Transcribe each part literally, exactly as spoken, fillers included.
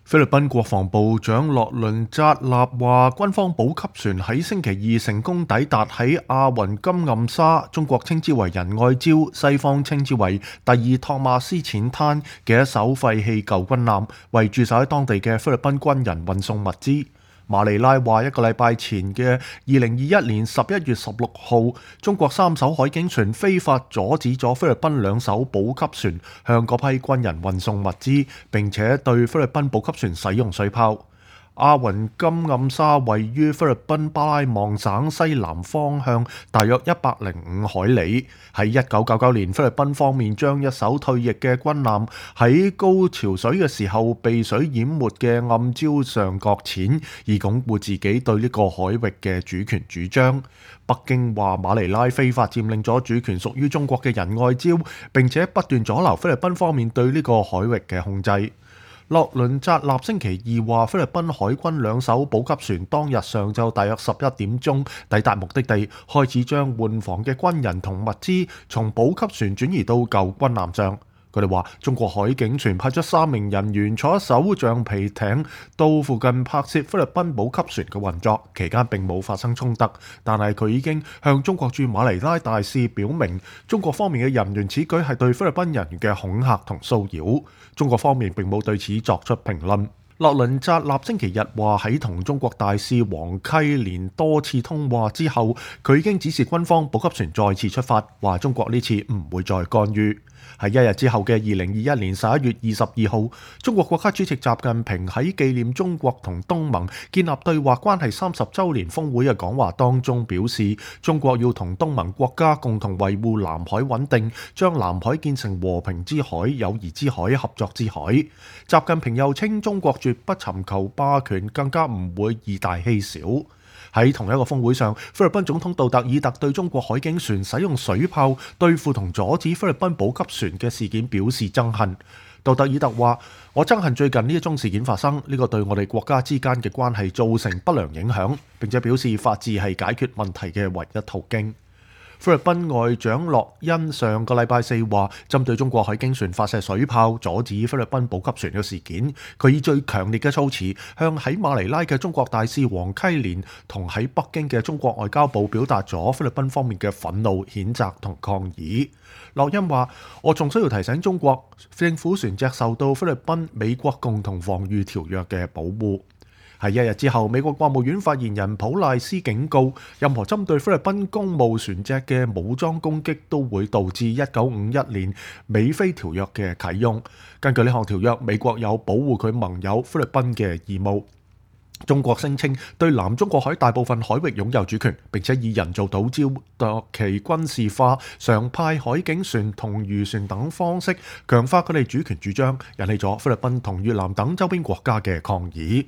菲律賓國防部長洛倫扎納話，軍方補給船喺星期二成功抵達喺阿雲金暗沙，中國稱之為仁愛礁，西方稱之為第二托馬斯淺灘嘅一艘廢棄舊軍艦，為駐守喺當地嘅菲律賓軍人運送物資。馬尼拉話，一個禮拜前嘅二零二一年十一月十六號，中國三艘海警船非法阻止咗菲律賓兩艘補給船向嗰批軍人運送物資，並且對菲律賓補給船使用水炮。阿雲金暗沙位於菲律賓巴拉望省西南方向大約一百零五海里。喺一九九九年，菲律賓方面將一艘退役嘅軍艦喺高潮水嘅時候被水淹沒嘅暗礁上擱淺，以鞏固自己對呢個海域嘅主權主張。北京話馬尼拉非法佔領咗主權屬於中國嘅仁愛礁，並且不斷阻撓菲律賓方面對呢個海域嘅控制。洛倫扎納星期二話，菲律賓海軍兩艘補給船當日上晝大約十一點鐘抵達目的地，開始將換防嘅軍人同物資從補給船轉移到舊軍艦上。佢哋話，中國海警船派出三名人員坐一艘橡皮艇到附近拍攝菲律賓補給船嘅運作，期間並冇發生衝突。但係佢已經向中國駐馬尼拉大使表明，中國方面嘅人員此舉係對菲律賓人嘅恐嚇同騷擾。中國方面並冇對此作出評論。洛倫扎納星期日話，喺同中國大使黃溪連多次通話之後，佢已經指示軍方補給船再次出發，話中國呢次唔會再干預。喺一日之後嘅二零二一年十一月二十二號，中國國家主席習近平喺紀念中國同東盟建立對話關係三十週年峰會嘅講話當中表示，中國要同東盟國家共同維護南海穩定，將南海建成和平之海、友誼之海、合作之海。習近平又稱，中國絕不尋求霸權，更加唔會以大欺小。喺同一個峰會上，菲律賓總統杜特爾特對中國海警船使用水炮對付同阻止菲律賓補給船嘅事件表示憎恨。杜特爾特話：我憎恨最近呢一宗事件發生，呢個對我哋國家之間嘅關係造成不良影響，並且表示法治係解決問題嘅唯一途徑。菲律賓外長洛恩上個禮拜四話，針對中國海警船發射水炮阻止菲律賓補給船嘅事件，佢以最強烈嘅措辭向喺馬尼拉嘅中國大使黃溪連同喺北京嘅中國外交部表達咗菲律賓方面嘅憤怒、譴責同抗議。洛恩話：我仲需要提醒中國，政府船隻受到菲律賓美國共同防禦條約嘅保護。喺一日之後，美國國務院發言人普賴斯警告，任何針對菲律賓公務船隻嘅武裝攻擊都會導致一九五一年美菲條約嘅啟用。根據呢項條約，美國有保護佢盟友菲律賓嘅義務。中國聲稱對南中國海大部分海域擁有主權，並且以人造島礁度其軍事化、常派海警船同漁船等方式強化佢哋主權主張，引起咗菲律賓同越南等周邊國家嘅抗議。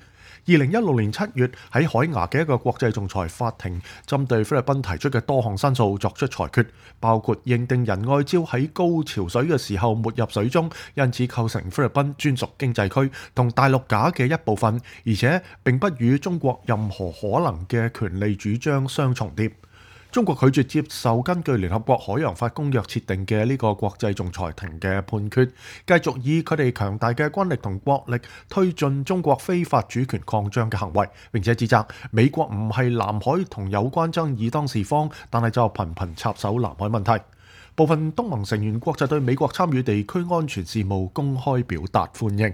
二零一六年七月，喺海牙嘅一個國際仲裁法庭針對菲律賓提出嘅多項申訴作出裁決，包括認定仁愛礁喺高潮水嘅時候沒入水中，因此構成菲律賓專屬經濟區同大陸架嘅一部分，而且並不與中國任何可能嘅權利主張相重疊。中國拒絕接受根據聯合國海洋法公約設定嘅呢個國際仲裁庭嘅判決，繼續以佢哋強大嘅軍力同國力推進中國非法主權擴張嘅行為，並且指責美國唔係南海同有關爭議當事方，但係就頻頻插手南海問題。部分東盟成員國就對美國參與地區安全事務公開表達歡迎。